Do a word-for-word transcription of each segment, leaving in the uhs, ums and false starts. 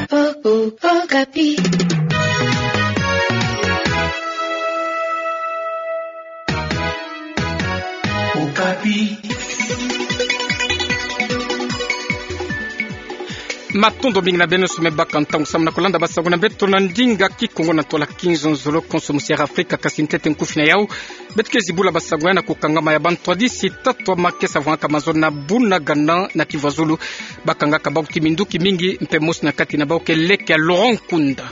Oh, oh, Okapi. Okapi. Matondo mingi na beno nyonso me baka ntangu samu na kolanda basango na beto na ndinga Kikongo na ntwala kizonzolo konso musi ya Afrika. Kasi ntete nkufi na yau, beto ke zibula basango ya na kukangama ya bantwadisi tatu ya makesa vwangaka mazono na Bunagana na Kivu ya Zulu. Bakangaka bau ti minduki mingi, mpe mosi na kati na bau ke leke ya Laurent Nkunda.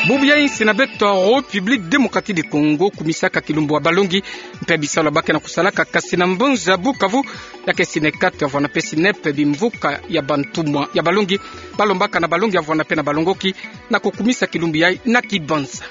Bubu ya insi na beto ya République Démocratique du Congo kumisaka kilumbu ya balongi mpe bisalu ba ke na kusalaka, kasi na mbanza Bukavu, ya ke SYNECAT ya vwanda mpe SYNEP, bimvuka ya bantumwa ya balongi, balombaka na balongi ya vwanda mpe na balongoki na kukumisa kilumbu yayi na kibanza.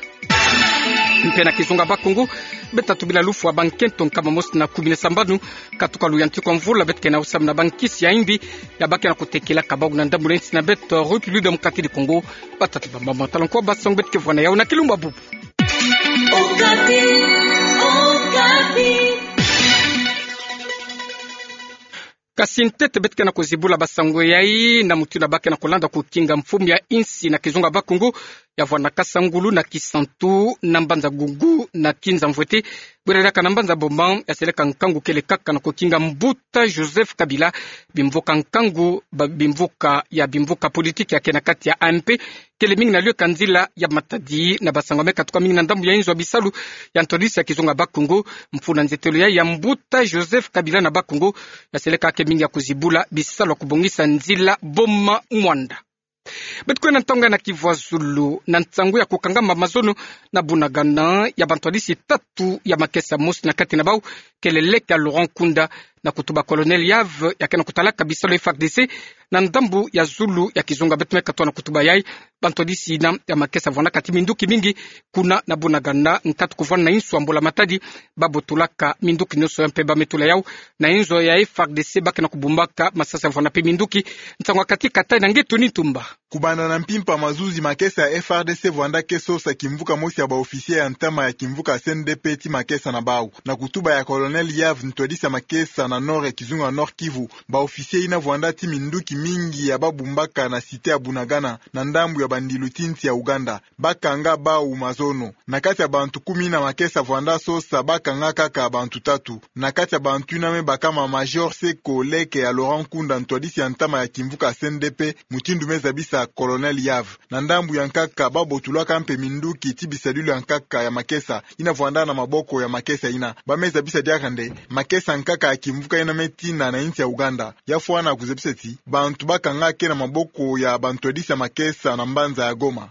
Mpe na kizunga Bakongo, beto ta tubila lufwa bankento nkama mosi na kumi na sambanu, katuka luyantiku ya mvula, beto ke na usa muna bankisi ya imbi ya ba ke na kutekelaka bau na ndambu na insi na beto ya République Démocratique du Congo. Batata, bamama, tala nkwa basango beto ke vwa na yau na kilumbu ya bubu. Okapi, Okapi. Kasi ntete beto ke na kuzibula basango yayi na mutindu ba ke na kulanda kukinga mfumu ya insi na kizunga Bakongo, ya vwanda Kasangulu na Kisantu, na mbanza Gougou na Kinza Mvwete, bwira diaka na mbanza Boma, ya seleka nkangu kele kaka na kukinga mbuta Joseph Kabila, bimvuka nkangu, ba-, bimvuka ya bimvuka politiki ya ke na kati ya A M P, kele mingi na luyeka nzila ya Matadi. Na basango me katuka mingi na ndambu ya inzo ya bisalu ya ntwadisi ya kizunga Bakongo, mfunu na nzietelo ya, ya mbuta Joseph Kabila na Bakongo, ya seleka ke mingi ya kuzibula bisalu ya kubongisa nzila Boma-Muanda. Beto kwenda ntangu ya na Kivu ya Zulu, na nsangu ya kukangama mazono na Bunagana ya bantwadisi tatu ya makesa, mosi na kati na bau kele leke ya Laurent Nkunda, na kutuba Colonel Yave, ya ke na kutalaka bisalu ya F A R D C na ndambu ya zulu ya kizunga. Beto me katoa na kutuba yayi, bantwadisi yina ya makesa vwandaka ti minduki mingi kuna na Bunagana, nkatu kuvwanda na insu ya Mbula Matadi, babotulaka minduki nyonso ya mpe ba me tula yau na inzo ya F A R D C ba ke na kubumbaka masasi ya vwanda mpe minduki. Nsangu ya kati kata na nge Tony Ntumba. Kubanda na mpimpa mazuzi, makesa ya F A R D C vwanda ke sosa kimvuka mosi ya ba officier ya ntama ya kimvuka C N D P ti makesa na bau. Na kutuba ya Colonel Yave, ntwadisi ya makesa na nord ya kizunga Nord-Kivu, ba officier yina vwanda ti minduki mingi ya babumbaka na cité ya Bunagana, na ndambu ya bandilu ti nsi ya Ouganda. Bakanga bau mazono. Na kati ya bantu kumi yina makesa vwanda sosa, bakanga kaka bantu tatu. Na kati ya bantu yina me bakama Major Seko, leke ya Laurent Nkunda, ntwadisi ya ntama ya kimvuka C N D P, mutindu me zabisa Colonel Yave. Na ndambu ya nkaka, babotulaka mpe minduki ti bisadulu ya nkaka ya makesa yina vwanda na maboko ya makesa yina. Ba me zabisa diaka nde makesa nkaka ya kimvuka yina me tina na insi ya Ouganda. Ya fwana kuzabisa ti bantu bakanga ke na maboko ya bantwadisi ya makesa na mbanza ya Goma.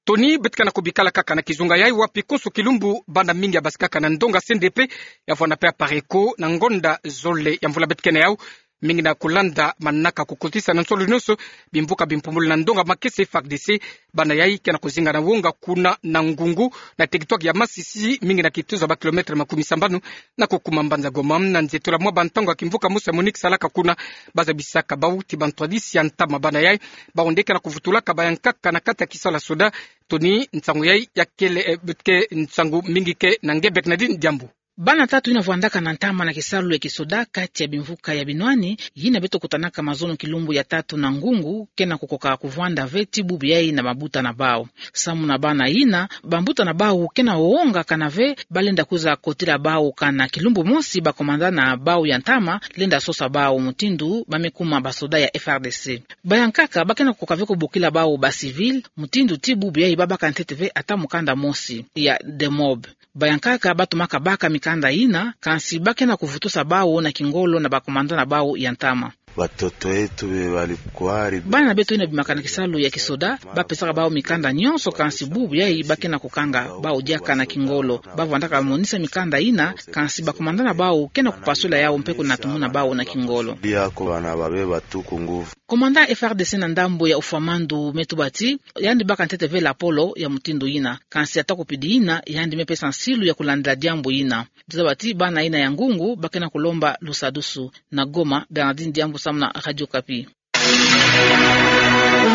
Tony, beto ke na kubikala kaka na kizunga yayi, wapi konso kilumbu bana mingi ya basikaka na ndonga C N D P, ya vwanda mpe Apareco, na ngonda zole ya mvula beto ke na yau, mingi na kulanda manaka kukotisa na nsolo nyonso bimvuka bimpumbulu na ndonga makesa F A R D C. Bana yayi ke na kuzinga na wonga kuna na Ngungu, na territoire ya Masisi, mingi na kituza ba kilomètre makumi sambanu na kukuma mbanza Goma. Na nzietolo ya mwa bantangu ya kimvuka mosi ya MONUC salaka kuna, bazabisaka bau ti bantwadisi ya ntama. Bana yayi, bau nde ke na kuvutulaka bayankaka na kati ya kisalu ya soda. Tony, nsangu yayi ya kele, eh, ke nsangu mingi ke na nge Bernadine Diambu. Bana tatu yina vwandaka na ntama na kisalu ya kisoda kati ya bimvuka ya binwani, yina beto kutanaka mazono kilumbu ya tatu na Ngungu, ke na kukoka kuvwanda ve ti bubu yayi na mabuta na bau. Samu na bana yina, bambuta na bau ke na wonga kana ve balenda kwiza kotila bau, kana kilumbu mosi ba commandant na bau ya ntama lenda sosa bau mutindu ba me kuma basoda ya F A R D C. Bayankaka ba ke na kukoka ve kubokila bau ba civil, mutindu ti bubu yayi babaka ntete ve ata mukanda mosi ya demob. Bayankaka batumaka baka mikanda yina, kansi ba ke na kuvutusa bau na kingolo na ba commandant na bau ya ntama. Watoto wetu be walikuwa. Bana beto yina bimaka na kisalu ya kisoda, bapesaka bau mikanda nyonso, kansi bubu yayi ba ke na kukanga bau diaka na kingolo. Bavwandaka bamonisa mikanda yina, kansi ba commandant na bau ke na kupasula yau mpe kunatumuna bau na kingolo. Bia ko bana babe batuku nguvu. Commandant F A R D C na ndambu ya Oufouamandou me tuba ti yandi baka ntete ve lapolo ya mutindu yina, kansi ata kupidi yina, yandi me pesa nsilu ya kulandila diambu yina. Tuzaba ti bana yina ya Ngungu ba ke na kulomba lusadusu. Na Goma, Bernardine Diambu samu na Radio Okapi.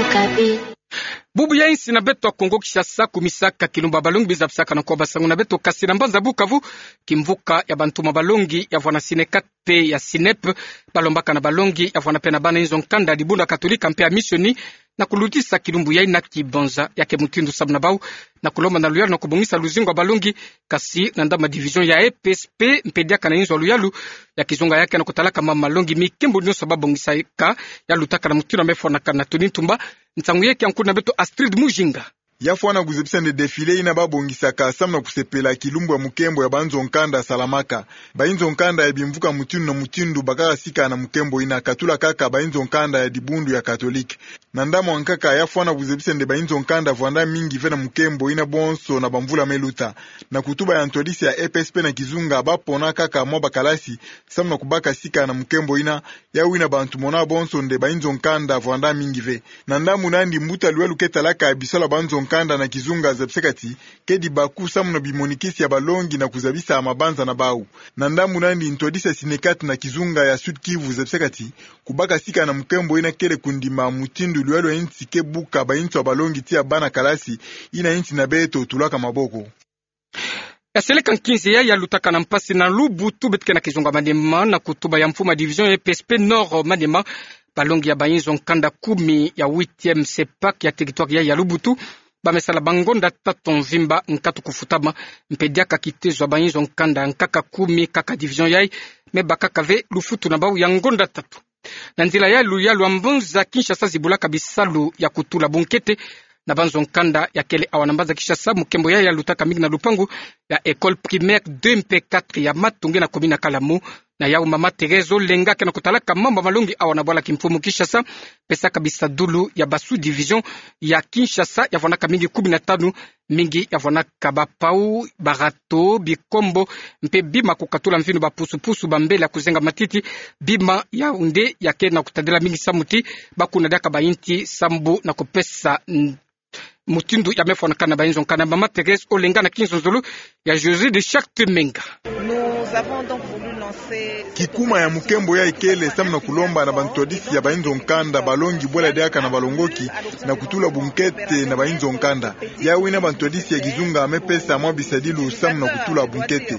Okapi. Bubu ya insi na beto ya Kongo Kinshasa kumisaka kilumbu ya balongi, bizabisaka na nkwa basango na beto, kasi na mbanza Bukavu, kimvuka ya bantumwa balongi ya vwanda SYNECAT mpe ya SYNEP, balombaka na balongi ya vwanda mpe na bana inzo nkanda ya dibundu ya Katolika mpe ya misioni, na kulutisa kilumbu yai na kibonza. Ya ke mutindu samu na bau na kulomba na luyalu na kubongisa luzingu ya balongi, kasi na ndambu ya division ya E P S P mpe diaka na inzo ya luyalu ya kizunga ya ke na kutalaka mama malongi, mikembo nionso babongisaka ya lutaka na mutindu ya me fwanakana. Tony Ntumba, nsangu yeke ya nkuna beto Astrid Mujinga. Ya fwana kuzebisa nde défilé ina babongisaka samu na kusepela kilumbu ya mukembo ya banzo nkanda salamaka. Bainzo nkanda ya bimvuka mutindu na mutindu bakaka sika na mukembo ina, katula kaka bainzo nkanda ya dibundu ya Katolike. Na ndambu ya nkaka, ya fwana kuzebisa nde bainzo nkanda vwanda mingi ve na mukembo ina bonso na bamvula me luta. Na kutuba ya ntwadisi ya E P S P na kizunga, bapona kaka mwa bakalasi samu na kubaka sika na mukembo ina, ya wina bantu mona bonso nde bainzo nkanda vwanda mingi ve. Na ndambu nandi, mbuta luyalu ke talaka bisalu ya banzo nkanda na kizunga zabisaka ti kedi baku samu na bimonikisi ya balongi na kuzabisa mabanza na bau. Na ndambu nandi, ntwadisi ya Synecat na kizunga ya Sud-Kivu zabisaka ti kubaka sika na mukembo ina kele kundima mutindu luyalu ya insi ke buka bainzo ya balongi tii ya bana kalasi ina insi na beto tulaka maboko. Ya seleka nkinzi yai ya lutaka na mpasi na Lubutu, beto ke na kizunga Maniema, na kutuba ya mfumu ya division E P S P Nord Maniema, balongi ya bainzo nkanda kumi ya huitième CEPAC ya territoire yai ya Lubutu ba me sala bangonda tatu mvimba nkatu kufutama, mpe diaka kitezo ya bainzo nkanda nkaka kumi kaka division yai me bakaka ve lufutu na bau ya ngonda tatu. Na nzila ya luyalu, ambonza Kinshasa zibulaka bisalu ya kutula bunkete na banzo nkanda ya kele awa na mbanza Kinshasa. Mukembo yai ya lutaka mingi na lupangu ya école primaire deux mpe quatre ya Matunge na commune ya Kalamu. Na yau mama Thérèse Olenga ke na kutalaka mambu ya malongi awa na bwala kimfumu Kinshasa, pesaka bisadulu ya ba sous-division ya Kinshasa ya vwanaka mingi kumi na tanu, mingi ya vwanaka bapau, barato, bikombo, mpe bima kukatula mvinu, bapusupusu, bambele ya kuzenga matiti. Bima yau nde ya ke na kutadila mingi samu ti bakuna diaka bainti sambu na kupesa n-, mutindu ya me fwanakana na bainzo nkanda. Mama Thérèse Olenga na kinzonzolo ya José de Charte Menga. Nous avons donc voulu lancer Kikuma ya mukembo yai kele samu na kulomba na bantwadisi ya bainzo nkanda balongi bwela diaka na balongoki na kutula bunkete na bainzo nkanda. Ya wina bantwadisi ya kizunga me pesa mwa bisadilu samu na kutula bunkete.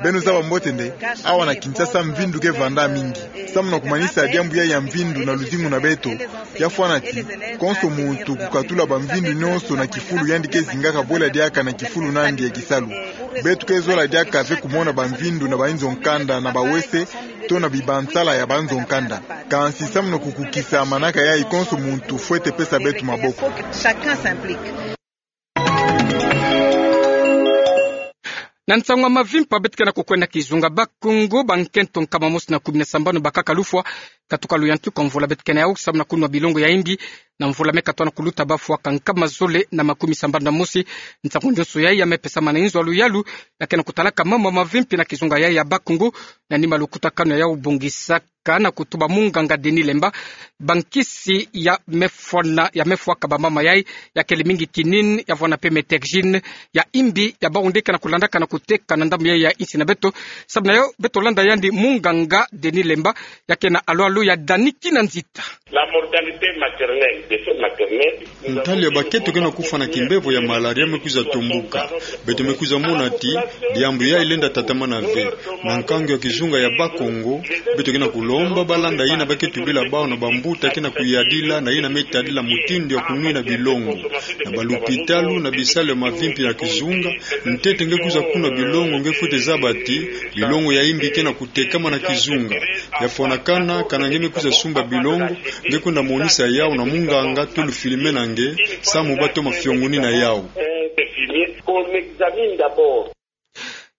Beno zaba mbote nde awa na Kinshasa mvindu ke vanda mingi. Samu na kumanisa diambu yai ya mvindu na luzingu na beto, ya fwana ti konso muntu kukatula bamvindu nionso na kifulu yandi ke zingaka bwela diaka na kifulu nandi ya kisalu. Beto ke zola diaka ve kumona bamvindu na bainzo nkanda na bawese to na bibansala ya banzo nkanda. Kansi samu na kukukisa manaka yai, konso muntu fwete pesa beto maboko. Chacun s'implique. Na nsangu ya mavimpa, beto ke na kukwenda kizunga Bakongo, bankento nkama mosi na kumi na sambanu bakaka lufwa katuka luyantika mvula. Beto ke na yau samu na kunwa bilongo ya imbi na mvula me katoa na kuluta, bafwaka nkama zole na makumi sambanu na mosi. Nsangu nionso yai ya me pesama na inzo ya luyalu ya ke na kutalaka mambu ya mavimpi na kizunga yai ya Bakongo, na nima lukutakanu ya yau bongisa ka na kutuba munganga Denis Lemba, bankisi ya me fwana, ya me fwaka bamama yai, ya kele mingi quinine, ya vwana mpe methergine, ya imbi, ya bau nde ke na kulandaka na kuteka na ndambu yai ya insi na beto. Samu na yau, beto landa yandi munganga Denis Lemba, ya ke na alwalu ya Dani Kinanzita. La mortalité maternelle, décès maternel. Ntali ya bakento ke na kufwa na kimbevo ya malaria me kwiza tombuka. Beto me kwiza mona ti diambu yai lenda tatamana ve. Na nkangu ya kizunga ya Bakongo, beto ke na kulomba ba landa yina ba ke tubila bawu na bambuta ke na kuyadila na yina me tadila mutindu ya kunwina bilongo. Na balupitalu, na bisalu ya mavimpi na kizunga, ntete nge kwiza kunwa bilongo, nge fwete zaba ti bilongo ya imbi ke na kutekama na kizunga. Ya fwanakana, kana nge me kwiza sumba bilongo, nge kwenda monisa yawu na munganga to lufilme na nge, samu ba toma fiongonina yawu.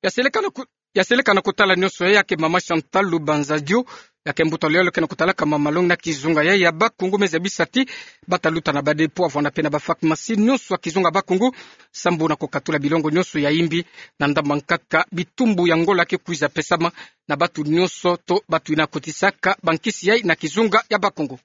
Ya seleka na ku-, ya seleka na kutala nionso yai, ya ke mama Chantal Lubanza Dio, ya ke mbuta luyalu ke na kutalaka mama malongi na kizunga yai ya Bakongo, me zabisa ti ba ta luta na ba dépôt, ya vwana mpe na ba pharmacie nionso ya kizunga Bakongo, sambu na kukatula bilongo nionso ya imbi. Na ndambu ya nkaka, bitumbu ya ngola ke kwiza pesama na batu nionso to batu yina kotisaka bankisi yai na kizunga ya Bakongo.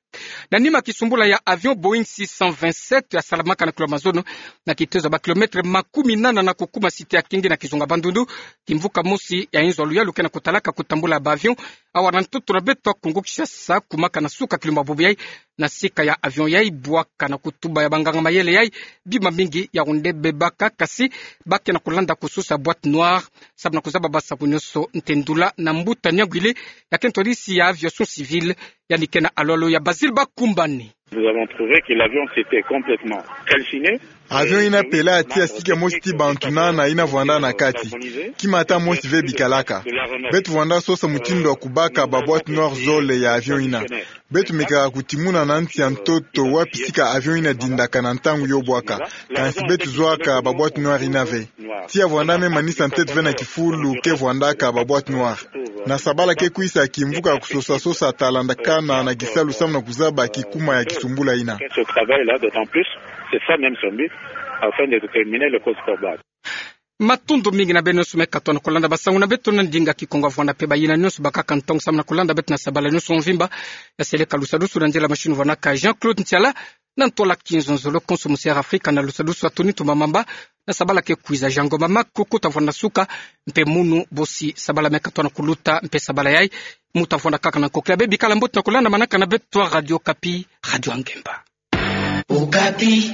Na nima kisumbula ya avion Boeing six cent vingt-sept ya salamaka na kilo mazono na kitezo ya ba kilomètre makumi nana na kukuma site ya Kenge na kizunga Bandundu, kimvuka mosi ya inzo ya luyalu ke na kutalaka kutambula ba avion awa na ntoto na beto Kongo Kinshasa, kumaka na suka kilumbu ya bubu yai. Na sika ya avion yai bwaka, na kutuba ya banganga mayele yai, bima mingi ya onde bebaka, kasi ba ke na kulanda kusosa boîte noire, sabu na kuzaba basaku nionso. Ntendula na mbuta Niangwili, ya ke ntwadisi ya aviation civile, yandi ke na alwalu ya Basile Bakumbani. Nous avons trouvé que l'avion s'était complètement calciné. Avion ina pela tia sika mosi ti bantu nana ina vwanda na kati. Ki mata mosi ve bikalaka. Beto vwanda sosa mutindu wa kubaka ba boîte noire zole ya avion ina. Beto mekaka kutimuna na nsi ya ntoto wapi sika avion ina dindaka na ntangu yo bwaka. Kansi beto zwaka ba boîte noire ina ve. Tia vwanda me manisa ntete ve na kifulu ke vwandaka ba boîte noire. Na sabala ke kwisa kimvuka kusosa sosa talandakana na kisalu samu na kuzaba kikuma ya kisumbula ina. Ce travail-là, d'autant plus, c'est ça même son but, afin de déterminer le cause probable. Matondo mingi na beno nyonso me katoa na kolanda ba sango na beto na ndinga Kikongo, avwanda pe bayina nyonso bakaka ntangu samu na kolanda beto na sabala nyonso mvimba. Ya seleka lusadusu na nzela machine vwanaka Jean-Claude Ntiala, na ntwala Kinzonzolo, konso musi Air Afrika na lusadusu Anthony Tumamamba, na sabala ke kwiza Jean Ngoma Makoko ta vwanda na suka, mpe munu bosi sabala me katoa na kuluta, mpe sabala yayi mu ta vwanda kaka na nkokila. Be bikala mbote na kolanda manaka na beto Radio Okapi, radio ya ngemba. Okapi.